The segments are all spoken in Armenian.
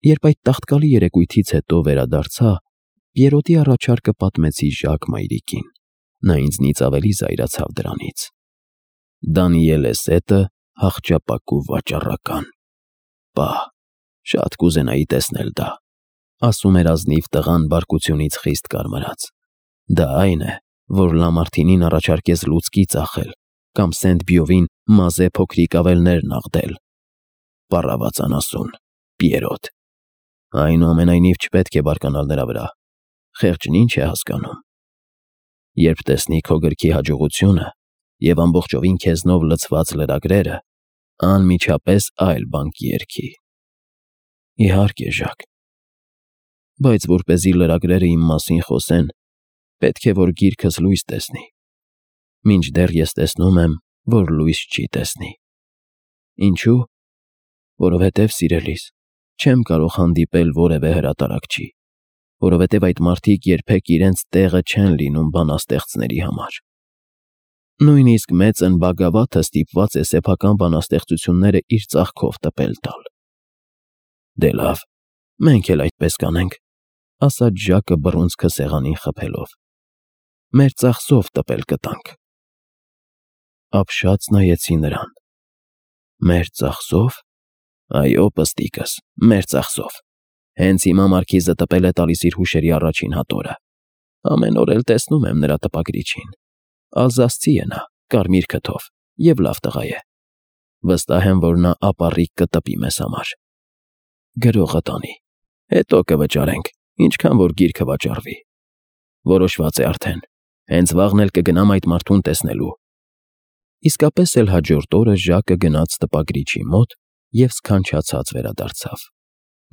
Երբ այդ տաղտկալի երեկույթից հետո վերադարձա, Պիերոտի առաջարկը պատմեցի Ժակ մայրիկին։ Նա ինձնից ավելի զայրացավ դրանից։ Դանիել Էսետը հախճապակու վաճառական։ Պահ, շատ կուզենայի տեսնել դա, ասում էր ազնիվ տղան բարկությունից խիստ կարմրած։ Դա այն է, որ Լամարտինին առաջարկեց լուցկի ծախել կամ Սենտ-Բյովին մազե փոքրիկ ավելներ նաղդել։ Պառավաց անասուն, Պիերոտ։ Այնուամենայնիվ չպետք է բարկանալ նրա վրա։ Խեղճն ինչ է հասկանում։ Երբ տեսնի քո գրքի հաջողությունը և ամբողջովին քեզնով լցված լրագրերը, անմիջապես այլ բան կերքի։ Իհարկե, Ժակ։ Բայց որպեսզի լրագրերը իմ մասին խոսեն, պետք է որ գիրքս լույս տեսնի։ Մինչդեռ ես տեսնում եմ, որ լույս չի տեսնի։ Ինչու՞։ Որովհետև, սիրելիս, չեմ կարող հանդիպել որևէ հրատարակչի, որովհետև այդ մարդիկ երբեք իրենց տեղը չեն լինում բանաստեղծների համար։ Նույնիսկ մեծն Բագավաթը ստիպված է սեփական բանաստեղծությունները իր ծախքով տպել տալ։ Դե լավ, մենք էլ այդպես կանենք, ասաց Ժակը բռունցքը սեղանին խփելով։ Մեր ծախսով տպել կտանք։ Ապշած նայեցի նրան։ Մեր ծախսով։ Այո, պստիկս, մեր ծախսով։ Հենց հիմա մարքիզը տպել է տալիս իր հուշերի առաջին հատորը։ Ամեն օր էլ տեսնում եմ նրա տպագրիչին։ Ալզասցի է նա, կարմիր քթով, և լավ տղա է։ Վստահ եմ, որ նա ապառիկ կտպի մեզ համար։ Գրողը տանի, հետո կվճարենք, ինչքան որ գիրքը վաճառվի։ Որոշված է արդեն, հենց վաղն էլ կգնամ այդ մարդուն տեսնելու։ Իսկապես էլ հաջորդ օրը Ժակը գնաց տպագրիչի մոտ և սքանչացած վերադարձավ։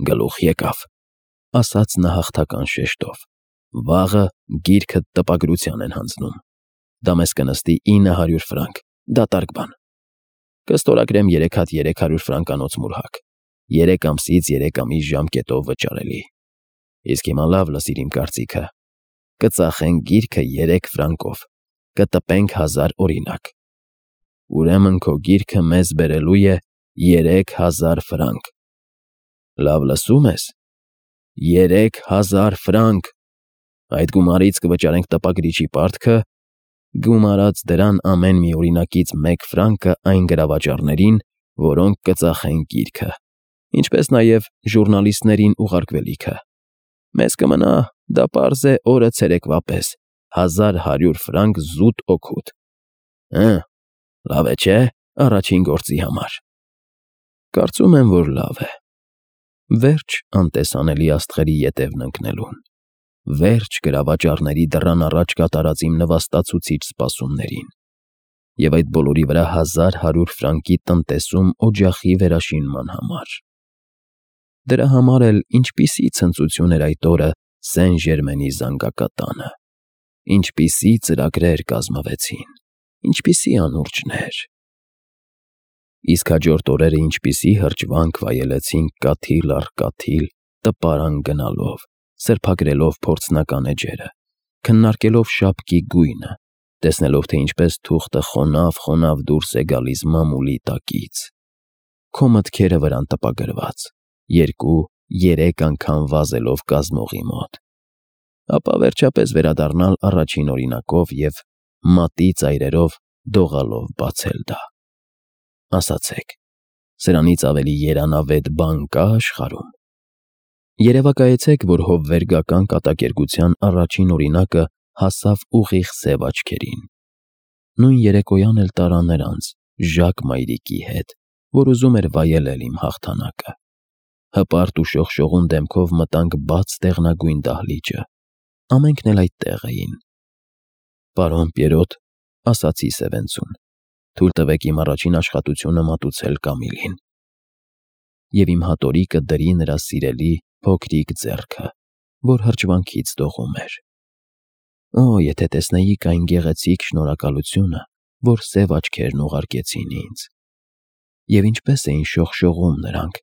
Գլուխ եկավ, ասաց նա հաղթական շեշտով։ Վաղը գիրքդ տպագրության են հանձնում։ Դա մեզ կնստի 900 ֆրանկ, դատարկ բան։ Կստորագրեմ 3 հատ 300 ֆրանկանոց մուրհակ, 3 ամսից 3 ամիս ժամկետով վճարելի։ Իսկ հիմա լավ լսիր իմ կարծիքը։ Կծախենք գիրքը 3 ֆրանկով, կտպենք 1000 օրինակ։ Ուրեմն քո գիրքը մեզ բերելու է 3000 ֆրանկ։ Լավ լսում ես։ 3000 ֆրանկ։ Այդ գումարից կվճարենք տպագրիչի պարտքը, գումարած դրան ամեն մի օրինակից 1 ֆրանկը այն գրավաճառներին, որոնք կծախեն գիրքը, ինչպես նաև ժուրնալիստներին ուղարկվելիքը։ Մեզ կմնա, դա պարզ է, օրը ցերեկվա պես, 1100 ֆրանկ զուտ օգուտ։ Լավ է, չէ՞, առաջին գործի համար։ Կարծում եմ, որ լավ է։ Վերջ անտեսանելի աստղերի ետևն ընկնելուն։ Վերջ գրավաճառների դռան առաջ կատարած իմ նվաստացուցիչ սպասումներին։ Եվ այդ բոլորի վրա 1100 ֆրանկի տնտեսում օջախի վերաշինման համար։ Դրա համար էլ ինչպիսի ցնծություն էր այդ օրը Սեն Ժերմենի զանգակատանը։ Ինչպիսի ծրագրեր կազմվեցին, ինչպիսի անուրջներ։ Իսկ հաջորդ օրերը ինչպիսի հրճվանք վայելեցինք կաթիլ առ կաթիլ, տպարան գնալով, սրբագրելով փորձնական էջերը, քննարկելով շապկի գույնը, տեսնելով, թե ինչպես թուղթը խոնավ դուրս է գալիս մամուլի տակից։ Քո մտքերը վրան տպագրված, 2-3 անգամ վազելով կազմողի մոտ։ Ապա վերջապես վերադառնալ առաջին օրինակով և մատի ծայրերով դողալով բացել դա։ Ասացեք, սրանից ավելի երանավետ բան կա աշխարհում։ Երևակայեցեք, որ հովվերգական կատակերգության առաջին օրինակը հասավ ուղիղ սև աչքերին։ Նույն երեկոյան էլ տարա նրանց, Ժակ մայրիկի հետ, որ ուզում էր վայելել իմ հաղթանակը։ Հպարտ ու շողշողուն դեմքով մտանք բաց դեղնագույն դահլիճը։ Ամենքն էլ այդտեղ էին։ Պարոն Պիերոտ, ասացի սևենցուն, թույլ տվեք իմ առաջին աշխատությունը մատուցել Կամիլին։ Եվ իմ հատորիկը դրի նրա սիրելի փոքրիկ ձեռքը, որ հրճվանքից դողում էր։ Օ, եթե տեսնեիք այն գեղեցիկ շնորհակալությունը, որ սև աչքերն ուղարկեցին ինձ։ Եվ ինչպես էին շողշողում նրանք,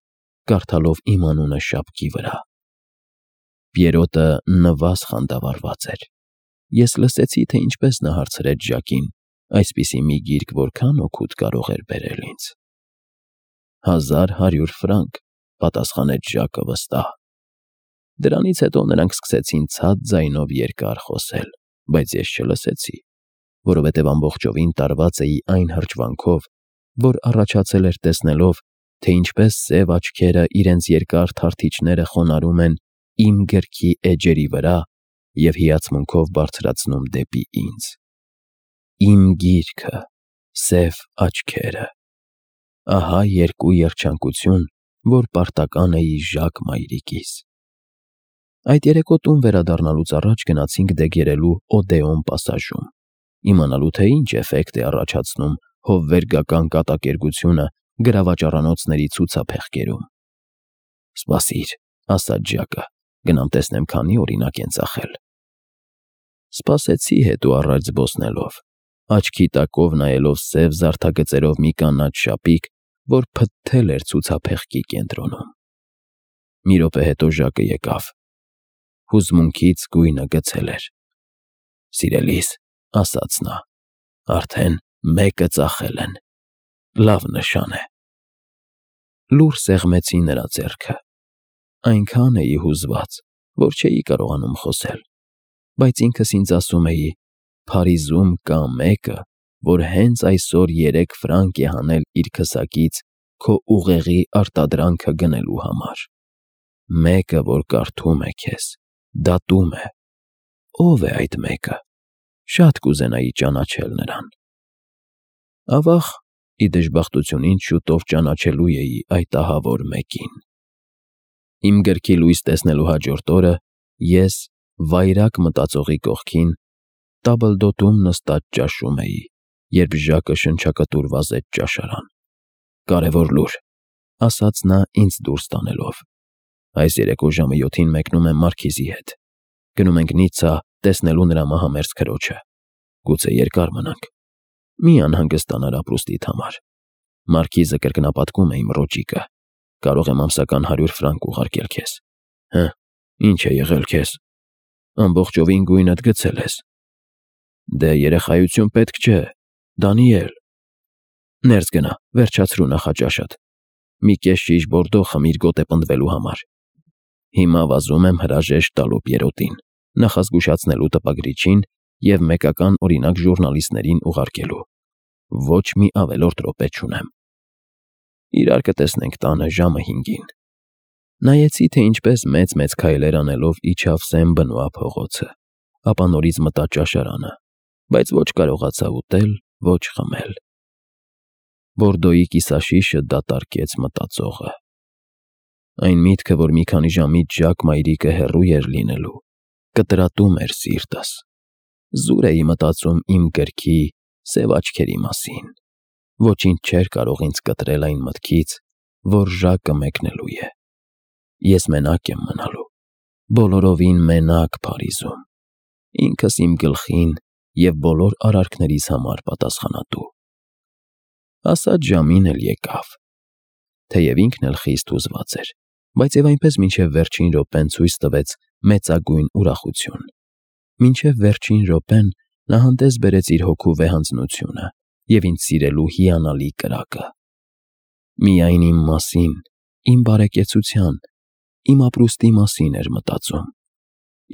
կարդալով իմ անունը շապկի վրա։ Պիերոտը նվազ խանդավառված էր։ Ես լսեցի, թե ինչպես նա հարցրեց Ժակին, այսպիսի մի գիրք որքան օգուտ կարող էր բերել ինձ։ 1100 ֆրանկ, պատասխանեց Ժակը վստահ։ Դրանից հետո նրանք սկսեցին ցած ձայնով երկար խոսել, բայց ես չլսեցի, որովհետև ամբողջովին տարված էի այն հրճվանքով, որ առաջացել էր տեսնելով, թե ինչպես սև աչքերը իրենց երկար թարթիչները խոնարհում են իմ գրքի էջերի վրա և հիացմունքով բարձրացնում դեպի ինձ։ Իմ գիրքը, սև աչքերը։ Ահա երկու երջանկություն, որ պարտական էի Ժակ մայրիկիս։ Այդ երեկո տուն վերադառնալուց առաջ գնացինք դեգերելու Օդեոն պասաժում, իմանալու թե ինչ էֆեկտ է առաջացնում հովվերգական կատակերգությունը գրավաճառանոցների ցուցափեղկերում։ «Սպասիր», ասաց Ժակը, «գնամ տեսնեմ քանի օրինակ են ծախել»։ Սպասեցի հետո առաջ զբոսնելով, աչքի տակով նայելով սև զարդագծերով մի կանաչ շապիկ, որ փթթել էր ցուցափեղկի կենտրոնում։ Մի րոպե հետո Ժակը եկավ։ Հուզմունքից գույնը գցել էր։ «Սիրելիս», ասաց նա, «արդեն մեկը ծախել են, լավ նշան է»։ Լուռ սեղմեցի նրա ձեռքը։ Այնքան էի հուզված, որ չէի կարողանում խոսել, բայց ինքս ինձ ասում էի. «Փարիզում կա մեկը, որ հենց այսօր 3 ֆրանկ է հանել իր քսակից քո ուղեղի արտադրանքը գնելու համար։ Մեկը, որ կարդում է քեզ, դատում է։ Ո՞վ է այդ մեկը։ Շատ կուզենայի ճանաչել նրան»։ Ավաղ, ի դժբախտություն ինձ շուտով ճանաչելու էի այդ ահավոր մեկին։ Իմ գրքի լույս տեսնելու հաջորդ օրը ես, վայրագ մտածողի կողքին, տաբլդոտում նստած ճաշում էի, երբ Ժակը շնչակտուր վազեց ճաշարան։ «Կարևոր լուր», ասաց նա ինձ դուրս տանելով։ «Այս երեկո ժամը 7-ին մեկնում եմ Մարքիզի հետ։ Գնում ենք Նիցցա տեսնելու նրա մահամերձ քրոջը։ Գուցե երկար մնանք։ Մի անհանգստանար ապրուստիդ համար։ Մարքիզը կրկնապատկում է իմ ռոճիկը։ Կարող եմ ամսական 100 ֆրանկ ուղարկել քեզ։ Հը, ինչ է եղել քեզ։ Ամբողջովին գույնդ գցել ես։ Դե երեխայություն պետք չէ, Դանիել։ Ներս գնա, վերջացրու նախաճաշդ։ Մի կես շիշ բորդո խմիր գոտե պնդվելու համար։ Հիմա վազում եմ հրաժեշտ տալու Պիերոտին, նախազգուշացնելու տպագրիչին և մեկական օրինակ ժուռնալիստներին ուղարկելու։ Ոչ մի ավելորդ րոպե չունեմ։ Իրար կտեսնենք տանը ժամը 5-ին։ Նայեցի, թե ինչպես մեծ-մեծ քայլեր անելով իջավ Սեն Բնուա փողոցը, ապա նորից մտա ճաշարանը, բայց ոչ կարողացա ուտել, ոչ խմել։ Բորդոյի կիսաշիշը դատարկեց մտածողը։ Այն միտքը, որ մի քանի ժամից Ժակ մայրիկը հեռու էր լինելու, կտրատում էր սիրտս։ Զուր էի մտածում իմ գրքի սև աչքերի մասին։ Ոչինչ չէր կարող ինձ կտրել այն մտքից, որ Ժակը մեկնելու է։ Ես մենակ եմ մնալու, բոլորովին մենակ Փարիզում, ինքս իմ գլխին և բոլոր արարքներիս համար պատասխանատու։ Ասած ժամին էլ եկավ։ Թեև ինքն էլ խիստ հուզված էր, բայց և այնպես մինչև վերջին րոպեն ցույց տվեց մեծագույն ուրախություն։ Մինչև վերջին րոպեն նա հանդես բերեց իր հոգու վեհանձնությունը և ինձ սիրելու հիանալի կրակը։ Միայն իմ մասին, իմ բարեկեցության, իմ ապրուստի մասին էր մտածում։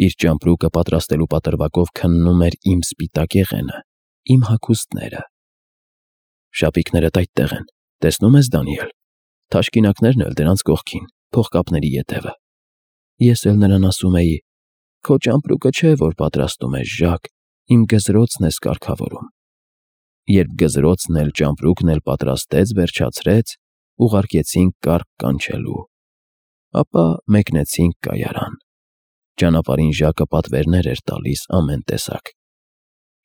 Իր ճամպրուկը պատրաստելու պատրվակով քննում էր իմ սպիտակ եղենը, իմ հագուստները։ Շապիկներդ այդտեղ են, տեսնում ես, Դանիել, թաշկինակներն էլ դրանց կողքին, փողկապների ետևը։ Ես էլ նրան ասում էի. «Քո ճամպրուկը չէ, որ պատրաստում ես, Ժակ, իմ գզրոցն ես կարգավորում»։ Երբ գզրոցն էլ ճամպրուկն էլ պատրաստեց, վերջացրեց, ուղարկեցինք կառք կանչելու։ Ապա մեկնեցինք կայարան։ Ճանապարհին Ժակը պատվերներ էր տալիս ամեն տեսակ։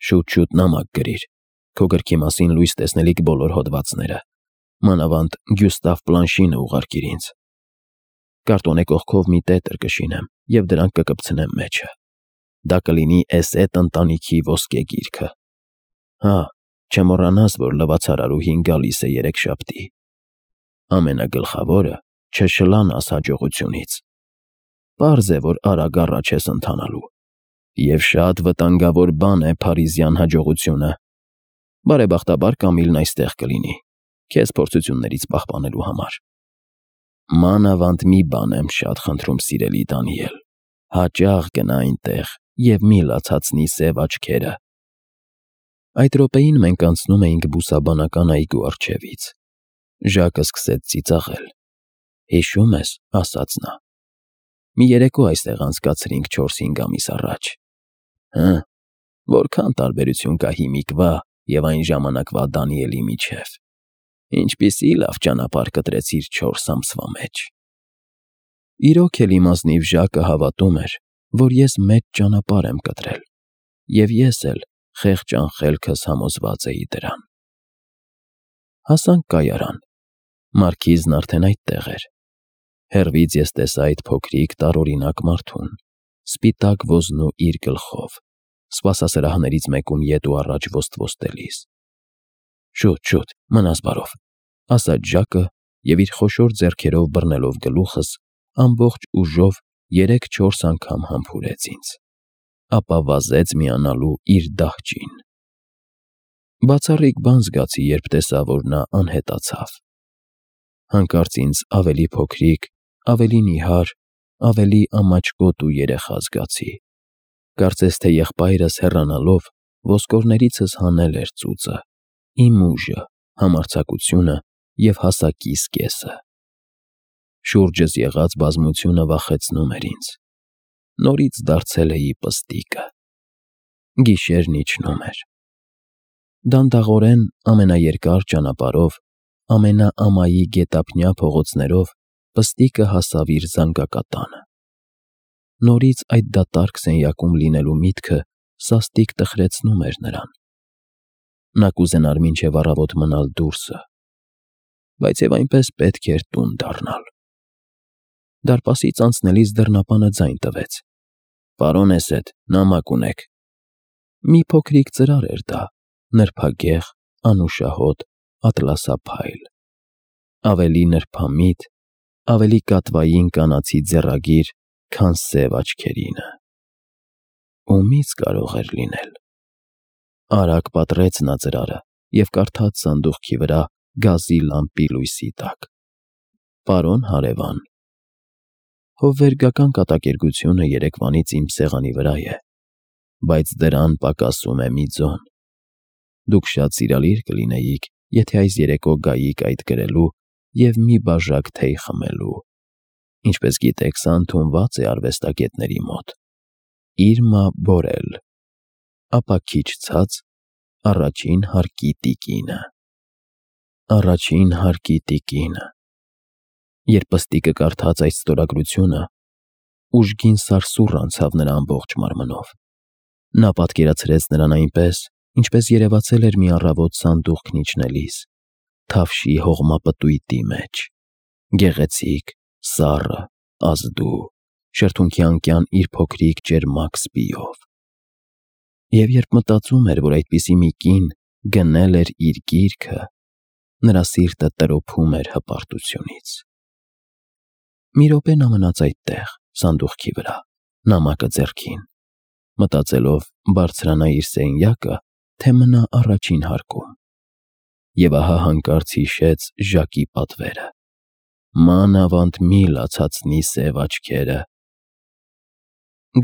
Շուտ-շուտ նամակ գրիր, քո գրքի մասին լույս տեսնելիք բոլոր հոդվածները, մանավանդ Գյուստավ Պլանշինը ուղարկիր ինձ։ Կարտոնե կողքով մի տետր կշինեմ և դրանք կկպցնեմ մեջը։ Դա կլինի Էսետ ընտանիքի ոսկե գիրքը։ Հա, չմոռանաս, որ լվացարարուհին գալիս է երեքշաբթի։ Ամենագլխավորը չշլանաս հաջողությունից։ Պարզ է, որ արագ առաջ ես ընթանալու։ Եվ շատ վտանգավոր բան է փարիզյան հաջողությունը։ Բարեբախտաբար Կամիլն այստեղ կլինի, քեզ փորձություններից պահպանելու համար։ Մանավանդ մի բան եմ շատ խնդրում, սիրելի Դանիել, հաճախ գնա այնտեղ և մի լացացնի սև աչքերը։ Այդ րոպեին մենք անցնում էինք բուսաբանական այգու առջևից։ Ժակը սկսեց ծիծաղել։ Հիշո՞ւմ ես, ասաց նա. մի երեկո այստեղ անցկացրինք 4-5 ամիս առաջ։ Հը, որքան տարբերություն կա հիմիկվա և այն ժամանակվա Դանիելի միջև։ Ինչպիսի լավ ճանապարհ կտրեցիր 4 ամսվա մեջ։ Իրոք էլ իմ ազնիվ Ժակը հավատում էր, որ ես մեծ ճանապարհ եմ կտրել, և ես էլ խեղճ անխելքս համոզված էի դրան։ Հասանք կայարան։ Մարքիզն արդեն այդտեղ էր։ Հեռվից ես տեսա այդ փոքրիկ տարօրինակ մարդուն, սպիտակ ոզնու իր գլխով, սպասասրահներից մեկում ետ ու առաջ ոստվոստելիս։ Շուտ, մնաս բարով, ասաց Ժակը և իր խոշոր ձեռքերով բռնելով գլուխս, ամբողջ ուժով 3-4 անգամ համբուրեց ինձ, ապա վազեց միանալու իր դահճին։ Բացառիկ բան զգացի, երբ տեսա, որ նա անհետացավ։ Հանկարծ ինձ ավելի փոքրիկ, ավելի նիհար, ավելի ամաչկոտ ու երեխա զգացի։ Կարծես թե եղբայրս հեռանալով ոսկորներիցս հանել էր ծուծը, իմ ուժը, համարձակությունը և հասակիս կեսը։ Շուրջս եղած բազմությունը վախեցնում էր ինձ։ Նորից դարձել էի պստիկը։ Գիշերն իջնում էր։ Դանդաղորեն ամենաերկար ճանապարհով, ամենաամայի գետափնյա փողոցներով պստիկը հասավ իր զանգակատանը։ Նորից այդ դատարկ սենյակում լինելու միտքը սաստիկ տխրեցնում էր նրան։ Նա կուզենար մինչև առավոտ մնալ դուրսը, բայց և այնպես պետք էր տուն դառնալ։ Դարպասից անցնելիս դռնապանը ձայն տվեց. «Պարոն Էսեդ, նամակ ունեք»։ Մի փոքրիկ ծրար էր դա, նրբագեղ, անուշահոտ, ատլասափայլ։ Ավելի նրբամիտ, ավելի կատվային կանացի ձեռագիր, քան սև աչքերինը։ Ումի՞ց կարող էր լինել։ Արագ պատռեց նա ծրարը և կարդաց սանդուղքի վրա գազի լամպի լույսի տակ. «Պարոն հարևան, հովվերգական կատակերգությունը երեկվանից իմ սեղանի վրա է, բայց դրան պակասում է մի ձոն։ Դուք շատ սիրալիր կլինեիք, եթե այս երեկո գայիք այդ գրելու և մի բաժակ թեյ խմելու։ Ինչպես գիտեք, սա ընդունված է արվեստագետների մոտ։ Իրմա Բորել»։ Ապա քիչ ցած. «Առաջին հարկի տիկինը»։ Առաջին հարկի տիկինը։ Երբ պստիկը կարդաց այդ ստորագրությունը, ուժգին սարսուռ անցավ նրա ամբողջ մարմնով։ Նա պատկերացրեց նրան այնպես, ինչպես երևացել էր մի առավոտ սանդուղքն իջնելիս, թավշի հողմապտույտի մեջ, գեղեցիկ, սառը, ազդու, շրթունքի անկյան իր փոքրիկ ճերմակ սպիով։ Եվ երբ մտածում էր, որ այդպիսի մի կին գնել էր իր գիրքը, նրա սիրտը տրոփում էր հպարտությունից։ Մի րոպե նա մնաց այդտեղ, սանդուղքի վրա, նամակը ձեռքին, մտածելով բարձրանա իր սենյակը, թե մնա առաջին հարկում։ Եվ ահա հանկարծ հիշեց Ժակի պատվերը. «Մանավանդ մի լացացնի սև աչքերը»։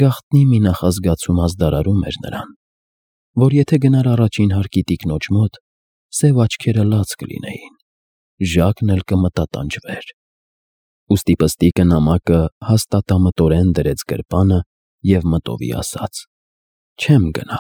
Գաղտնի մի նախազգացում ազդարարում էր նրան, որ եթե գնար առաջին հարկի տիկնոջ մոտ, սև աչքերը լաց կլինեին, Ժակն էլ կմտատանջվեր։ Ուստի պստիկը նամակը հաստատամտորեն դրեց գրպանը և մտովի ասաց. «Չեմ գնա»։